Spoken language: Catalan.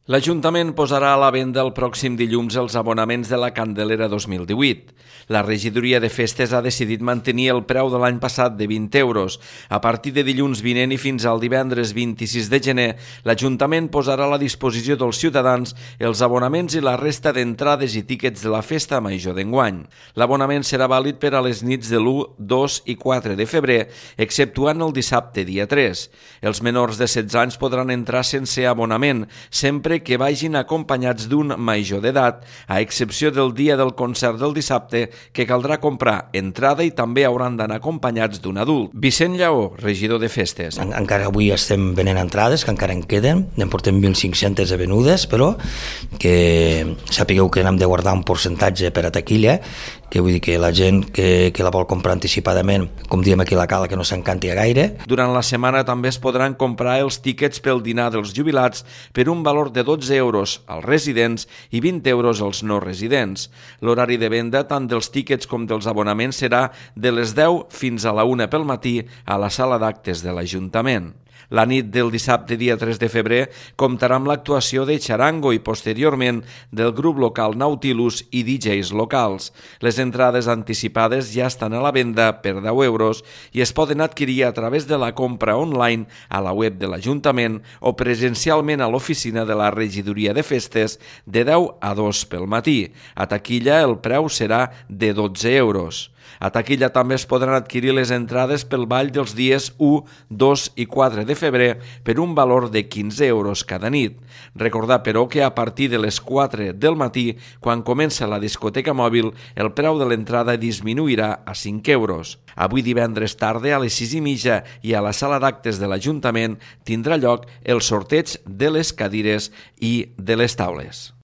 L'Ajuntament posarà a la venda el pròxim dilluns els abonaments de la Candelera 2018. La regidoria de festes ha decidit mantenir el preu de l'any passat de 20 euros. A partir de dilluns vinent i fins al divendres 26 de gener, l'Ajuntament posarà a la disposició dels ciutadans els abonaments i la resta d'entrades i tíquets de la festa major d'enguany. L'abonament serà vàlid per a les nits de l'1, 2 i 4 de febrer, exceptuant el dissabte dia 3. Els menors de 16 anys podran entrar sense abonament, sempre que vagin acompanyats d'un major d'edat, a excepció del dia del concert del dissabte, que caldrà comprar entrada i també hauran d'anar acompanyats d'un adult. Vicent Lleó, regidor de festes. Encara avui estem venent entrades, que encara en queden, en portem 1.500 de venudes, però que sapigueu que hem de guardar un percentatge per a taquilla, que vull dir que la gent que la vol comprar anticipadament, com diem aquí a la Cala, que no s'encanti gaire. Durant la setmana també es podran comprar els tíquets pel dinar dels jubilats per un valor de 12 euros als residents i 20 euros als no residents. L'horari de venda tant dels tíquets com dels abonaments serà de les 10 fins a la 1 pel matí a la sala d'actes de l'Ajuntament. La nit del dissabte dia 3 de febrer comptarà amb l'actuació de Charango i posteriorment del grup local Nautilus i DJs locals. Les entrades anticipades ja estan a la venda per 10 euros i es poden adquirir a través de la compra online a la web de l'Ajuntament o presencialment a l'oficina de la regidoria de festes de 10 a 2 pel matí. A taquilla el preu serà de 12 euros. A taquilla també es podran adquirir les entrades pel ball dels dies 1, 2 i 4 de febrer per un valor de 15 euros cada nit. Recordar, però, que a partir de les 4 del matí, quan comença la discoteca mòbil, el preu de l'entrada disminuirà a 5 euros. Avui divendres tarda a les 6:30 i a la sala d'actes de l'Ajuntament tindrà lloc el sorteig de les cadires i de les taules.